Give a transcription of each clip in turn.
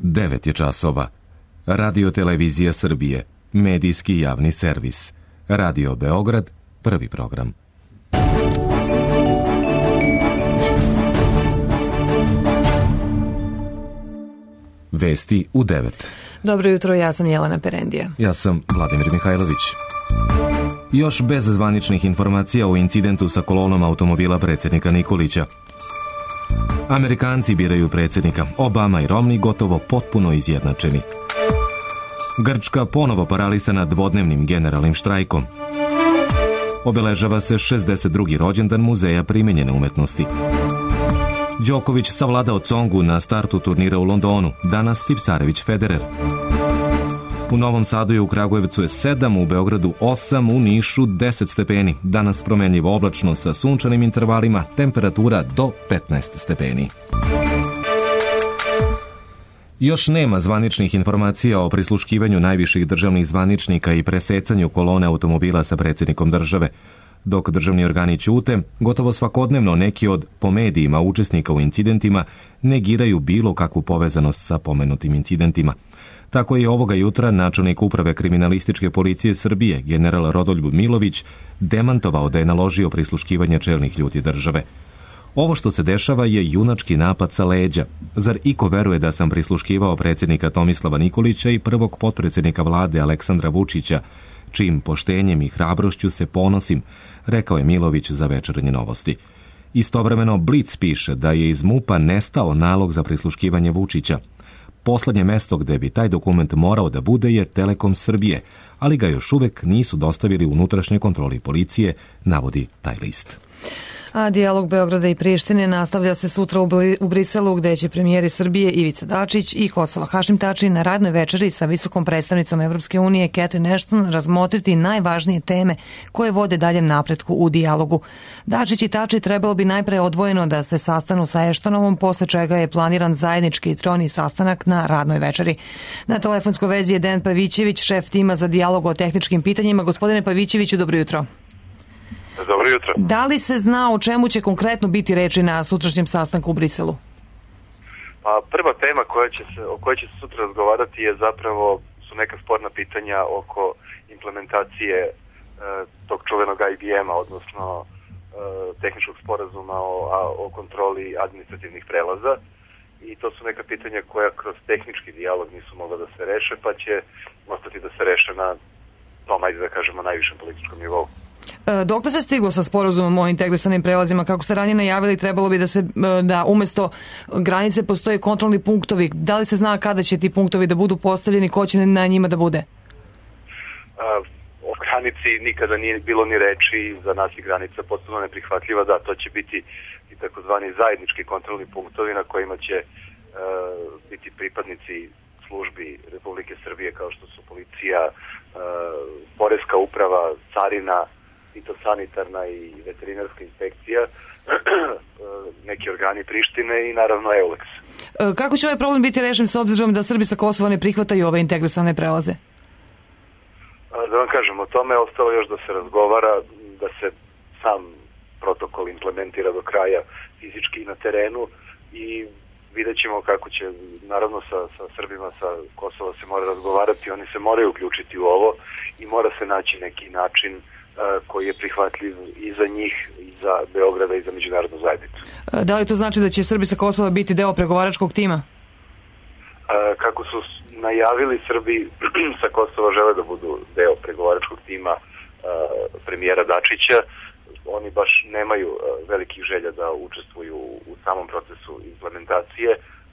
9 je časova. Radio Televizija Srbije, medijski javni servis. Radio Beograd, prvi program. Vesti u 9. Dobro jutro, ja sam Jelena Perendija. Ja sam Vladimir Mihajlović. Još bez zvaničnih informacija o incidentu sa kolonom automobila predsjednika Nikolića. Amerikanci biraju predsjednika, Obama i Romney gotovo potpuno izjednačeni. Grčka ponovo paralisana dvodnevnim generalnim štrajkom. Obeležava se 62. rođendan Muzeja primenjene umetnosti. Đoković savladao Tsongu na startu turnira u Londonu, danas Tipsarević Federer. U Novom Sadu i u Kragujevcu je 7, u Beogradu 8, u Nišu 10 stepeni. Danas promenljivo oblačno sa sunčanim intervalima, temperatura do 15 stepeni. Još nema zvaničnih informacija o prisluškivanju najviših državnih zvaničnika i presecanju kolone automobila sa predsjednikom države. Dok državni organi ćute, gotovo svakodnevno neki od, po medijima, učesnika u incidentima negiraju bilo kakvu povezanost sa pomenutim incidentima. Tako je ovoga jutra načelnik uprave kriminalističke policije Srbije, general Rodoljub Milović, demantovao da je naložio prisluškivanje čelnih ljudi države. Ovo što se dešava je junački napad sa leđa. Zar iko veruje da sam prisluškivao predsjednika Tomislava Nikolića i prvog potpredsjednika vlade Aleksandra Vučića, čijim poštenjem i hrabrošću se ponosim, rekao je Milović za Večernje novosti. Istovremeno Blic piše da je iz MUP-a nestao nalog za prisluškivanje Vučića. Poslednje mesto gde bi taj dokument morao da bude je Telekom Srbije, ali ga još uvek nisu dostavili unutrašnjoj kontroli policije, navodi taj list. A dijalog Beograda i Prištine nastavlja se sutra u Briselu, gde će premijeri Srbije Ivica Dačić i Kosova Hašim Tači na radnoj večeri sa visokom predstavnicom Evropske unije Catherine Ashton razmotriti najvažnije teme koje vode daljem napretku u dijalogu. Dačić i Tači trebalo bi najpre odvojeno da se sastanu sa Ashtonovom, posle čega je planiran zajednički trojni sastanak na radnoj večeri. Na telefonskoj vezi je Dejan Pavićević, šef tima za dijalog o tehničkim pitanjima. Gospodine Pavićeviću, dobro jutro. Dobro jutro. Da li se zna o čemu će konkretno biti reči na sutrašnjem sastanku u Briselu? Pa prva tema o kojoj će se sutra razgovarati je zapravo su neka sporna pitanja oko implementacije tog čuvenog IBM-a, odnosno tehničkog sporazuma o kontroli administrativnih prelaza. I to su neka pitanja koja kroz tehnički dijalog nisu mogla da se reše, pa će ostati da se reše na tom, ajde da kažemo, najvišem političkom nivou. Dokle se stiglo sa sporazumom o integrisanim prelazima? Kako ste ranije najavili, trebalo bi da umesto granice postoje kontrolni punktovi. Da li se zna kada će ti punktovi da budu postavljeni, ko će na njima da bude? O granici nikada nije bilo ni reči, za nas je granica potpuno neprihvatljiva. Da, to će biti i takozvani zajednički kontrolni punktovi na kojima će biti pripadnici službi Republike Srbije kao što su policija, poreska uprava, carina, fitosanitarna i veterinarska inspekcija, neki organi Prištine i naravno EULEX. Kako će ovaj problem biti rešen s obzirom da Srbi sa Kosova ne prihvataju ove integrisane prelaze? Da vam kažem, o tome je ostalo još da se razgovara, da se sam protokol implementira do kraja fizički na terenu i vidjet ćemo kako će, naravno sa Srbima sa Kosova se mora razgovarati, oni se moraju uključiti u ovo i mora se naći neki način koji je prihvatljiv i za njih, i za Beograda, i za međunarodnu zajednicu. Da li to znači da će Srbi sa Kosova biti deo pregovaračkog tima? Kako su najavili, Srbi sa Kosova žele da budu deo pregovaračkog tima premijera Dačića. Oni baš nemaju velikih želja da učestvuju u samom procesu implementacije,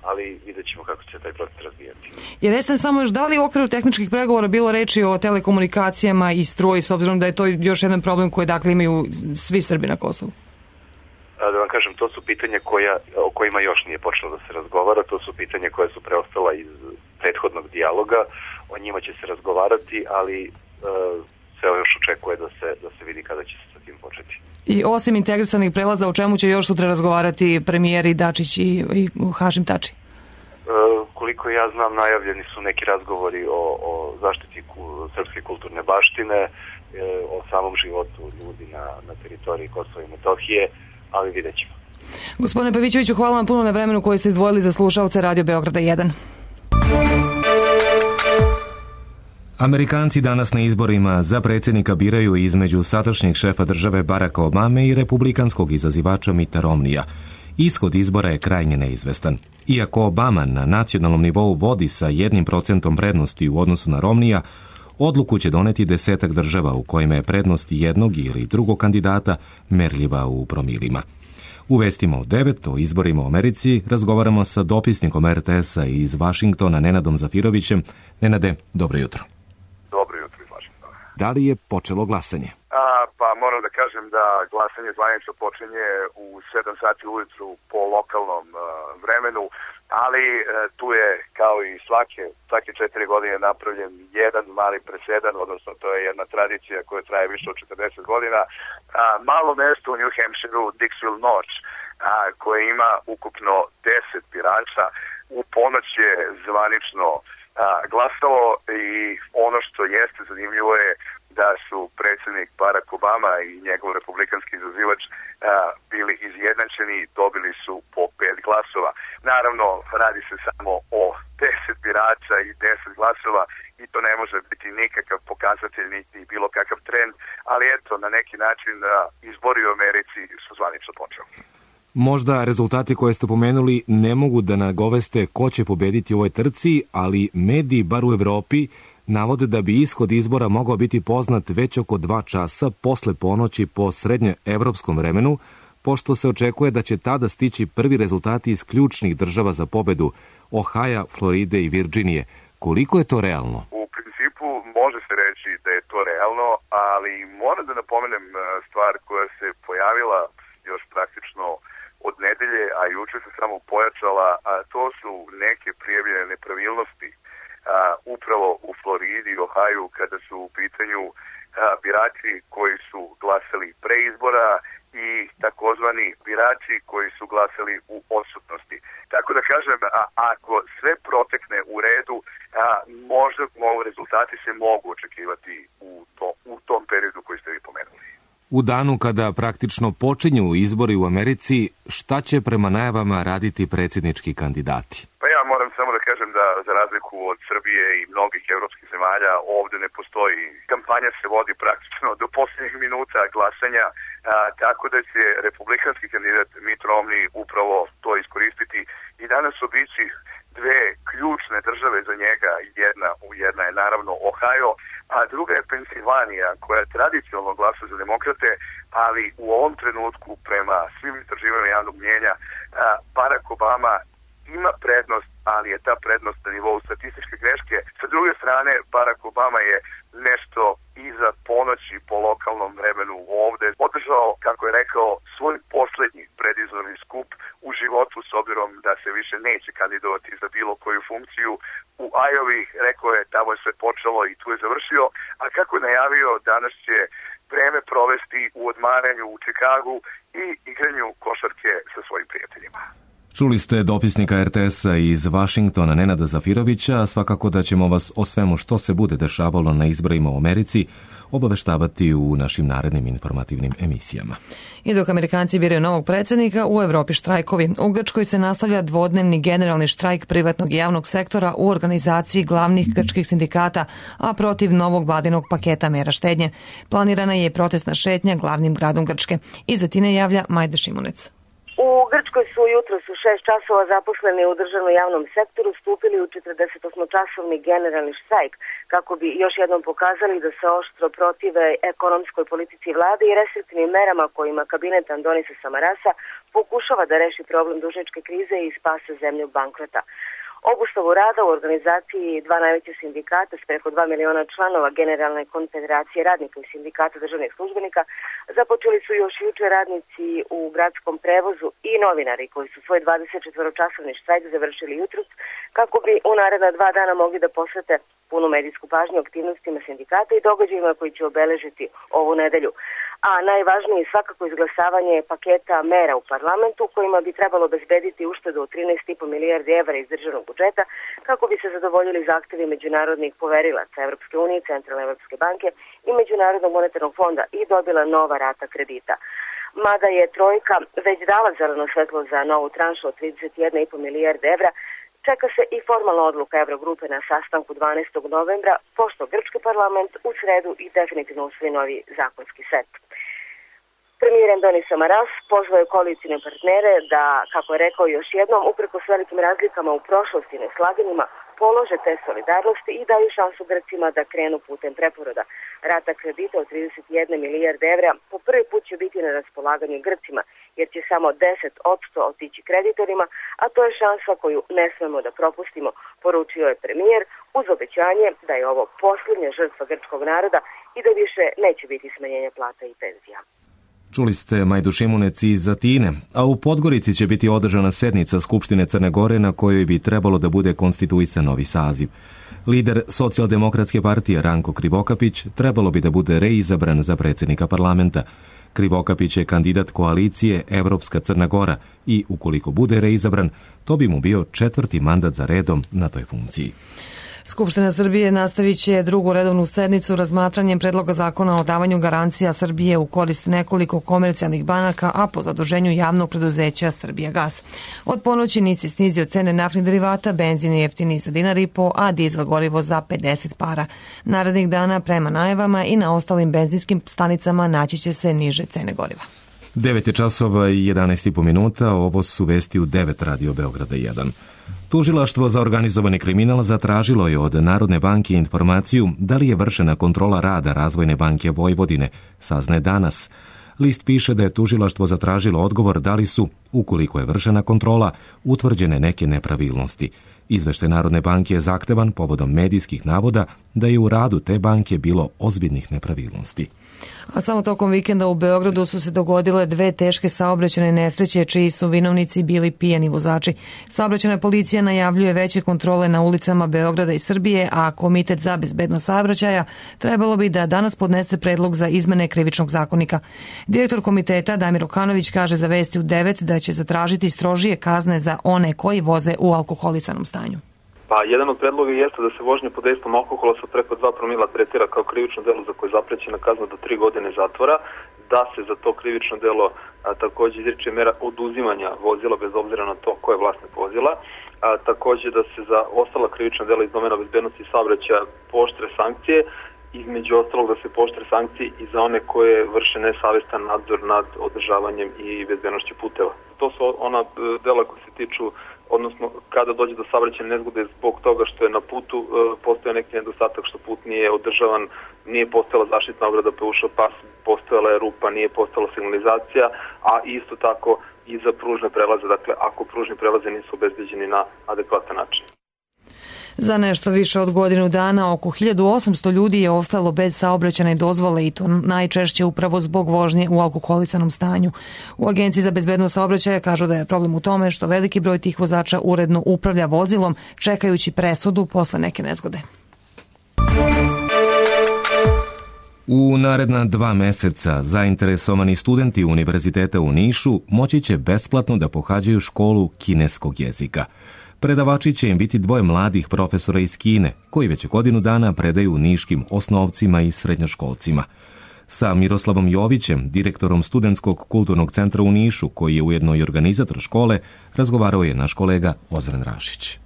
ali vidjet ćemo kako će taj proces razvijati. Jer jeste samo još, da li u okviru tehničkih pregovora bilo reči o telekomunikacijama i struji, s obzirom da je to još jedan problem koji dakle imaju svi Srbi na Kosovu? Da vam kažem, to su pitanja o kojima još nije počelo da se razgovara, to su pitanja koja su preostala iz prethodnog dijaloga, o njima će se razgovarati, ali se još očekuje da se vidi kada će se sa tim početi. I osim integrisanih prelaza, o čemu će još sutra razgovarati premijeri Dačić i Hašim Tači? Koliko ja znam, najavljeni su neki razgovori o zaštiti srpske kulturne baštine, o samom životu ljudi na teritoriji Kosova i Metohije, ali vidjet ćemo. Gospodine Pavićeviću, hvala vam puno na vremenu koje ste izdvojili za slušaoce Radio Beograda 1. Amerikanci danas na izborima za predsjednika biraju između sadašnjeg šefa države Baracka Obame i republikanskog izazivača Mitta Romneya. Ishod izbora je krajnje neizvestan. Iako Obama na nacionalnom nivou vodi sa 1% prednosti u odnosu na Romneya, odluku će doneti 10 država u kojima je prednost jednog ili drugog kandidata merljiva u promilima. U vestima od 9 o izborima u Americi razgovaramo sa dopisnikom RTS-a iz Vašingtona Nenadom Zafirovićem. Nenade, dobro jutro. Dobro jutro iz Vašingtona. Da li je počelo glasanje? Pa moram da kažem da glasanje zvanično počinje u 7 sati ujutru po lokalnom vremenu, ali tu je kao i svake 4 godine napravljen jedan mali presedan, odnosno to je jedna tradicija koja traje više od 40 godina. Malo mesto u New Hampshireu, Dixville Notch, koje ima ukupno 10 birača, u ponoć je zvanično glasalo i ono što jeste zanimljivo je da su predsjednik Barack Obama i njegov republikanski izazivač bili izjednačeni, dobili su po 5 glasova. Naravno, radi se samo o 10 birača i 10 glasova i to ne može biti nikakav pokazatelj niti bilo kakav trend, ali eto, na neki način izbori u Americi su zvanično počeli. Možda rezultati koje ste pomenuli ne mogu da nagoveste ko će pobediti u ovoj trci, ali mediji, bar u Evropi, navode da bi ishod izbora mogao biti poznat već oko 2 časa posle ponoći po srednjoevropskom vremenu, pošto se očekuje da će tada stići prvi rezultati iz ključnih država za pobedu, Ohaja, Floride i Virginije. Koliko je to realno? U principu može se reći da je to realno, ali moram da napomenem stvar koja se pojavila još praktično od nedelje, a juče se samo pojačala, a to su neke prijavljene nepravilnosti upravo u Floridi i Ohaju kada su u pitanju birači koji su glasali pre izbora i takozvani birači koji su glasali u odsutnosti. Tako da kažem, ako sve protekne u redu, možda rezultati se mogu očekivati u tom periodu koji ste vi pomenuli. U danu kada praktično počinju izbori u Americi, šta će prema najavama raditi predsjednički kandidati? Pa ja moram samo da kažem da za razliku od Srbije i mnogih evropskih zemalja ovdje ne postoji. Kampanja se vodi praktično do posljednjih minuta glasanja, tako da će republikanski kandidat Mitt Romney upravo to iskoristiti i danas obići dve ključne države za njega. Jedna je naravno Ohio, a druga je Pensilvanija, koja tradicionalno glasa za demokrate, ali u ovom trenutku prema svim istraživanjima javnog mnjenja Barack Obama ima prednost, ali je ta prednost na nivou statističke greške. Sa druge strane, Barack Obama je nešto iza ponoći po lokalnom vremenu ovde održao, kako je rekao, svoj poslednji predizborni skup u životu, s obzirom da se više neće kandidovati za bilo koju funkciju. U Iowa, rekao je, tamo je sve počelo i tu je završio, a kako je najavio, danas će vreme provesti u odmaranju u Čikagu i igranju košarke sa svojim prijateljima. Čuli ste dopisnika RTS-a iz Vašingtona Nenada Zafirovića, svakako da ćemo vas o svemu što se bude dešavalo na izborima u Americi obaveštavati u našim narednim informativnim emisijama. I dok Amerikanci biraju novog predsjednika, u Evropi štrajkovi. U Grčkoj se nastavlja dvodnevni generalni štrajk privatnog i javnog sektora u organizaciji glavnih grčkih sindikata, a protiv novog vladinog paketa mera štednje. Planirana je protestna šetnja glavnim gradom Grčke. Iza Tine javlja Majda Šimunec. U Grčkoj su jutros u 6 časova zaposleni u državnom javnom sektoru stupili u 48-časovni generalni štrajk kako bi još jednom pokazali da se oštro protive ekonomskoj politici vlade i restriktivnim merama kojima kabinet Andonisa Samarasa pokušava da reši problem dužničke krize i spase zemlju bankrota. Obustavu rada u organizaciji dva najveća sindikata s preko 2 miliona članova Generalne konfederacije radnika i sindikata državnih službenika započeli su još juče radnici u gradskom prevozu i novinari koji su svoj 24-časovni štrajk završili jutros kako bi u naredna 2 dana mogli da posvete punu medijsku pažnju aktivnostima sindikata i događajima koji će obeležiti ovu nedelju. A najvažnije je svakako izglasavanje paketa mera u parlamentu kojima bi trebalo obezbediti uštedu od 13,5 milijardi evra iz državnog budžeta kako bi se zadovoljili zahtevi međunarodnih poverilaca Evropske unije, Centralne Evropske banke i Međunarodnog monetarnog fonda i dobila nova rata kredita. Mada je trojka već dala zeleno svetlo za novu tranšu od 31,5 milijarde evra, Čeka se i formalna odluka Eurogrupe na sastanku 12. novembra, pošto grčki parlament u sredu i definitivno usvoji novi zakonski set. Premijer Endonis Samaras pozvao je koalicijne partnere da, kako je rekao još jednom, uprkos velikim razlikama u prošlosti i neslaganjima, polože te solidarnosti i daju šansu Grcima da krenu putem preporoda. Rata kredita od 31 milijarde evra po prvi put će biti na raspolaganju Grcima, jer će samo 10% otići kreditorima, a to je šansa koju ne smemo da propustimo, poručio je premijer uz obećanje da je ovo posljednja žrtva grčkog naroda i da više neće biti smanjenja plata i penzija. Čuli ste Majdu Šimunec iz Atine, a u Podgorici će biti održana sednica Skupštine Crne Gore na kojoj bi trebalo da bude konstituisan novi saziv. Lider Socijaldemokratske partije Ranko Krivokapić trebalo bi da bude reizabran za predsjednika parlamenta. Krivokapić je kandidat koalicije Evropska Crna Gora i, ukoliko bude reizabran, to bi mu bio 4. mandat za redom na toj funkciji. Skupština Srbije nastavit će drugu redovnu sednicu razmatranjem predloga zakona o davanju garancija Srbije u korist nekoliko komercijalnih banaka, a po zaduženju javnog preduzeća Srbijagas. Od ponoći NIS je snizio cene naftnih derivata, benzin je jeftiniji za $1,50, a dizel gorivo za 50 para. Narednih dana, prema najavama, i na ostalim benzinskim stanicama naći će se niže cene goriva. 9 časova i 11,5 minuta, ovo su vesti u 9 Radio Beograda 1. Tužilaštvo za organizovani kriminal zatražilo je od Narodne banke informaciju da li je vršena kontrola rada Razvojne banke Vojvodine, saznaje danas. List piše da je tužilaštvo zatražilo odgovor da li su, ukoliko je vršena kontrola, utvrđene neke nepravilnosti. Izveštaj Narodne banke je zahtevan povodom medijskih navoda da je u radu te banke bilo ozbiljnih nepravilnosti. A samo tokom vikenda u Beogradu su se dogodile 2 teške saobraćajne nesreće čiji su vinovnici bili pijani vozači. Saobraćajna policija najavljuje veće kontrole na ulicama Beograda i Srbije, a Komitet za bezbednost saobraćaja trebalo bi da danas podnese predlog za izmene krivičnog zakonika. Direktor komiteta Damir Okanović kaže za Vesti u 9 da će zatražiti strožije kazne za one koji voze u alkoholisanom stanju. Pa jedan od predloga jeste da se vožnja pod dejstvom alkohola sa preko 2 promila tretira kao krivično delo za koje je zaprećena kazna do 3 godine zatvora, da se za to krivično delo također izriče mera oduzimanja vozila bez obzira na to ko je vlasnik vozila, također da se za ostala krivična dela iz domena bezbednosti i saobraćaja pooštre sankcije, između ostalog da se pooštre sankcije i za one koje vrše nesavestan nadzor nad održavanjem i bezbednošću puteva. To su ona dela koje se tiču, odnosno kada dođe do saobraćajne nezgode zbog toga što je na putu postoje neki nedostatak, što put nije održavan, nije postojala zaštitna ograda pa je ušao pas, postojala je rupa, nije postojala signalizacija, a isto tako i za pružne prelaze, dakle ako pružni prelaze nisu obezbeđeni na adekvatan način. Za nešto više od godinu dana oko 1800 ljudi je ostalo bez saobraćajne dozvole i to najčešće upravo zbog vožnje u alkoholisanom stanju. U Agenciji za bezbednost saobraćaja kažu da je problem u tome što veliki broj tih vozača uredno upravlja vozilom čekajući presudu posle neke nezgode. U naredna 2 meseca zainteresovani studenti Univerziteta u Nišu moći će besplatno da pohađaju školu kineskog jezika. Predavači će im biti 2 mladih profesora iz Kine, koji već godinu dana predaju niškim osnovcima i srednjoškolcima. Sa Miroslavom Jovićem, direktorom Studentskog kulturnog centra u Nišu, koji je ujedno i organizator škole, razgovarao je naš kolega Ozren Rašić.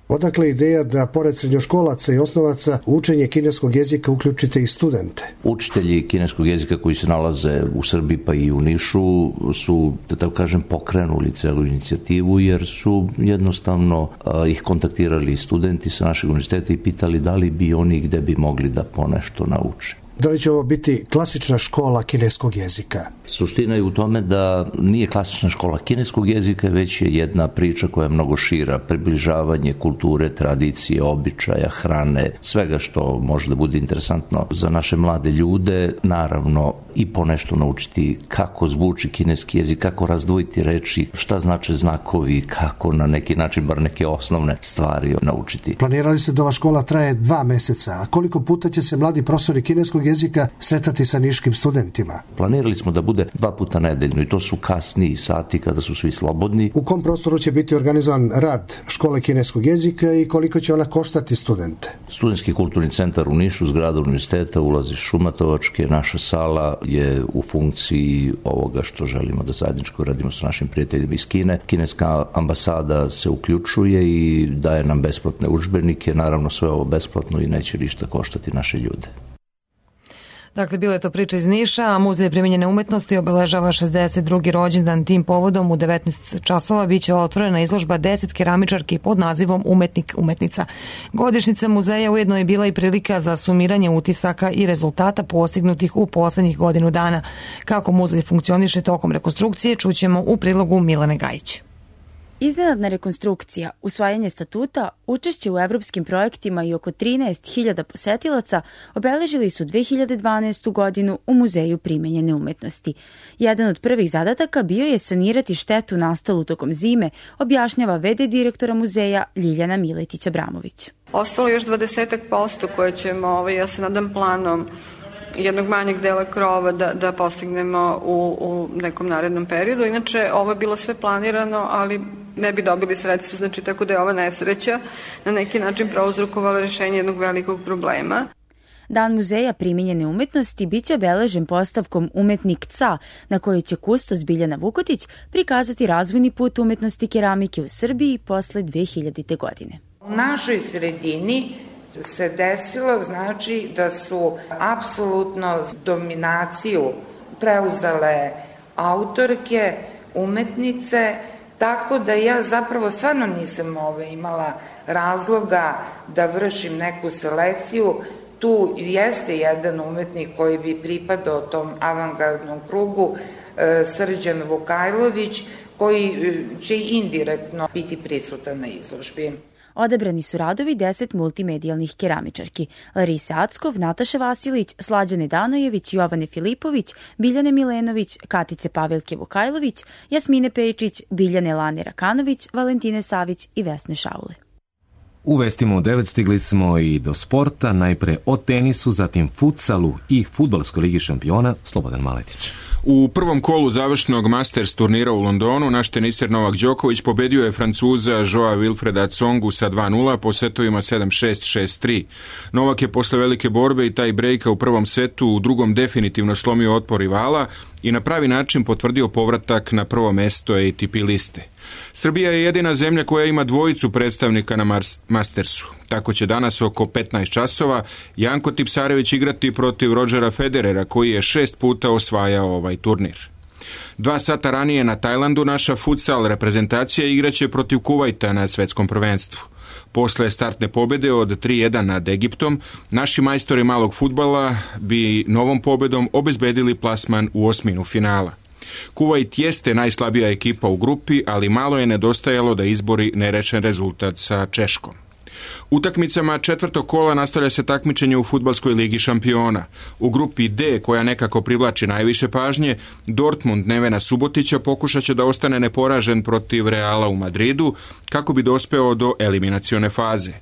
Odakle ideja da pored srednjoškolaca i osnovaca u učenje kineskog jezika uključite i studente? Učitelji kineskog jezika koji se nalaze u Srbiji pa i u Nišu su, da tako kažem, pokrenuli celu inicijativu jer su jednostavno ih kontaktirali studenti sa našeg univerziteta i pitali da li bi oni gde bi mogli da ponešto nauče. Da li će ovo biti klasična škola kineskog jezika? Suština je u tome da nije klasična škola kineskog jezika, već je jedna priča koja je mnogo šira, približavanje kulture, tradicije, običaja, hrane, svega što može da bude interesantno za naše mlade ljude, naravno i ponešto naučiti kako zvuči kineski jezik, kako razdvojiti reči, šta znače znakovi, kako na neki način bar neke osnovne stvari naučiti. Planirali ste da ova škola traje 2 meseca, a koliko puta će se mladi profesori kineskog jezika sretati sa niškim studentima? Planirali smo da bude 2 puta nedeljno i to su kasniji sati kada su svi slobodni. U kom prostoru će biti organizovan rad škole kineskog jezika i koliko će ona koštati studente? Studentski kulturni centar u Nišu, zgrada univerziteta, ulazi Šumatovačke, naša sala je u funkciji ovoga što želimo da zajedničko radimo sa našim prijateljima iz Kine. Kineska ambasada se uključuje i daje nam besplatne udžbenike, naravno sve ovo besplatno i neće ništa koštati naše ljude. Dakle, bila je to priča iz Niša, a Muzej primijenjene umetnosti obeležava 62. rođendan. Tim povodom u 19 časova biće otvorena izložba 10 keramičarki pod nazivom Umetnik, umetnica. Godišnjica muzeja ujedno je bila i prilika za sumiranje utisaka i rezultata postignutih u poslednjih godinu dana. Kako muzej funkcioniše tokom rekonstrukcije, čućemo u prilogu Milane Gajić. Iznenadna rekonstrukcija, usvajanje statuta, učešće u evropskim projektima i oko 13.000 posetilaca obeležili su 2012. godinu u Muzeju primenjene umetnosti. Jedan od prvih zadataka bio je sanirati štetu nastalu tokom zime, objašnjava v.d. direktora muzeja Ljiljana Miletić-Abramović. Ostalo još 20% koje ćemo, ja se nadam, planom jednog manjeg dela krova da postignemo u nekom narednom periodu. Inače, ovo je bilo sve planirano, ali ne bi dobili sredstva, znači tako da je ova nesreća na neki način prouzrokovala rešenje jednog velikog problema. Dan muzeja primenjene umetnosti biće obeležen postavkom Umetnik ca, na kojoj će kustos Biljana Vukotić prikazati razvojni put umetnosti keramike u Srbiji posle 2000. godine. U našoj sredini se desilo, znači, da su apsolutno dominaciju preuzele autorke, umetnice, tako da ja zapravo stvarno nisam imala razloga da vršim neku selekciju. Tu jeste jedan umetnik koji bi pripadao tom avangardnom krugu, Srđan Vukajlović, koji će indirektno biti prisutan na izložbi. Odabrani su radovi 10 multimedijalnih keramičarki: Larise Ackov, Nataše Vasilić, Slađane Danojević, Jovane Filipović, Biljane Milenović, Katice Pavelke Vukajlović, Jasmine Pejčić, Biljane Lane Rakanović, Valentine Savić i Vesne Šaule. U vestima u 9 stigli smo i do sporta, najpre o tenisu, zatim futsalu i fudbalskoj ligi šampiona. Slobodan Maletić. U prvom kolu završnog Masters turnira u Londonu naš teniser Novak Đoković pobedio je Francuza Joa Wilfreda Tsongu sa 2-0 po setovima 7-6, 6-3. Novak je posle velike borbe i taj brejka u prvom setu u drugom definitivno slomio otpor rivala i na pravi način potvrdio povratak na prvo mesto ATP liste. Srbija je jedina zemlja koja ima dvojicu predstavnika na Mastersu. Tako će danas oko 15 časova Janko Tipsarević igrati protiv Rodgera Federera, koji je 6 puta osvajao ovaj turnir. 2 sata ranije na Tajlandu naša futsal reprezentacija igraće protiv Kuvajta na svetskom prvenstvu. Posle startne pobede od 3-1 nad Egiptom, naši majstori malog fudbala bi novom pobedom obezbedili plasman u osminu finala. Kuvajt jeste najslabija ekipa u grupi, ali malo je nedostajalo da izbori nerešen rezultat sa Češkom. Utakmicama četvrtog kola nastavlja se takmičenje u fudbalskoj ligi šampiona. U grupi D, koja nekako privlači najviše pažnje, Dortmund Nevena Subotića pokušat će da ostane neporažen protiv Reala u Madridu, kako bi dospeo do eliminacione faze.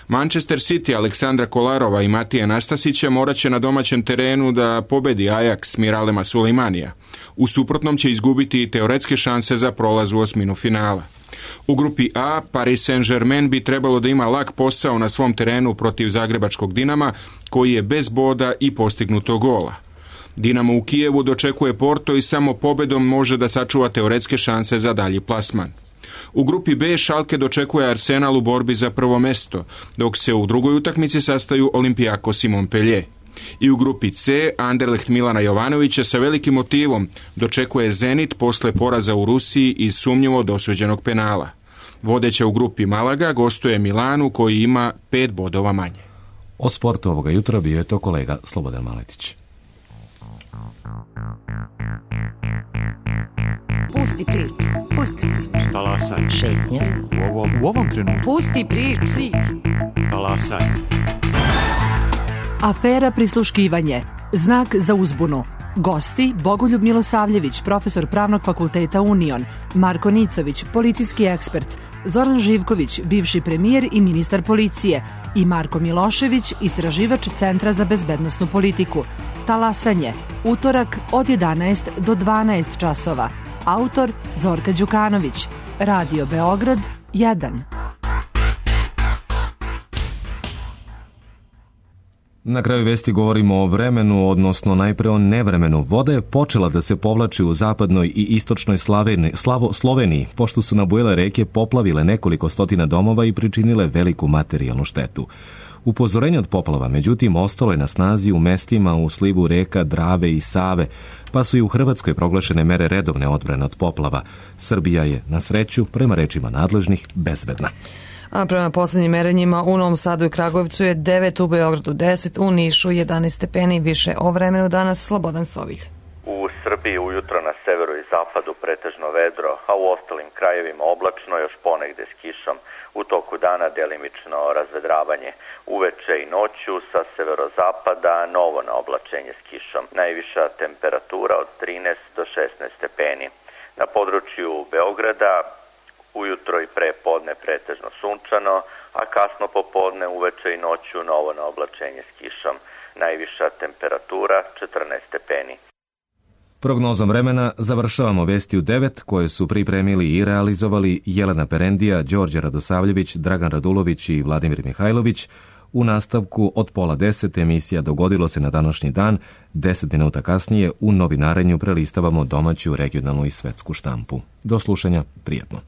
Manchester City Aleksandra Kolarova i Matije Nastasića morat će na domaćem terenu da pobedi Ajax Miralema Sulejmanija. U suprotnom će izgubiti i teoretske šanse za prolaz u osminu finala. U grupi A, Paris Saint-Germain bi trebalo da ima lak posao na svom terenu protiv zagrebačkog Dinama, koji je bez boda i postignuto gola. Dinamo u Kijevu dočekuje Porto i samo pobedom može da sačuva teoretske šanse za dalji plasman. U grupi B Schalke dočekuje Arsenal u borbi za prvo mesto, dok se u drugoj utakmici sastaju Olympiakos i Montpellier. I u grupi C Anderlecht Milana Jovanovića sa velikim motivom dočekuje Zenit posle poraza u Rusiji iz sumnjivo dosuđenog penala. Vodeća u grupi Malaga gostuje Milanu, koji ima 5 bodova manje. O sportu ovoga jutra bio je to kolega Slobodan Maletić. Pusti priču, pusti priču. Talasaj. Šetnja. U ovom trenutku. Pusti priču. Talasaj. Afera prisluškivanje. Znak za uzbunu. Gosti Bogoljub Milosavljević, profesor Pravnog fakulteta Union, Marko Nicović, policijski ekspert, Zoran Živković, bivši premijer i ministar policije i Marko Milošević, istraživač Centra za bezbednosnu politiku. Talasanje. Utorak od 11 do 12 časova. Autor Zorka Đukanović. Radio Beograd 1. Na kraju vesti govorimo o vremenu, odnosno najpre o nevremenu. Voda je počela da se povlači u zapadnoj i istočnoj Sloveniji, pošto su nabujele reke poplavile nekoliko stotina domova i pričinile veliku materijalnu štetu. Upozorenje od poplava, međutim, ostalo je na snazi u mestima u slivu reka Drave i Save, pa su i u Hrvatskoj proglašene mere redovne odbrane od poplava. Srbija je, na sreću, prema rečima nadležnih, bezbedna. A prema poslednjim merenjima u Novom Sadu i Kragujevcu je 9, u Beogradu 10, u Nišu 11 stepeni. Više o vremenu danas Slobodan Sovilj. U Srbiji ujutro na severu i zapadu pretežno vedro, a u ostalim krajevima oblačno, još ponegde s kišom. U toku dana delimično razvedravanje. Uveče i noću sa severozapada novo naoblačenje s kišom. Najviša temperatura od 13 do 16 stepeni. Na području Beograda ujutro i pre podne pretežno sunčano, a kasno popodne, uveče i noću novo naoblačenje s kišom. Najviša temperatura 14 stepeni. Prognozom vremena završavamo vesti u 9 koje su pripremili i realizovali Jelena Perendija, Đorđe Radosavljević, Dragan Radulović i Vladimir Mihajlović. U nastavku od 9:30 emisija Dogodilo se na današnji dan. 10 minuta kasnije u novinarenju prelistavamo domaću, regionalnu i svetsku štampu. Do slušanja, prijatno.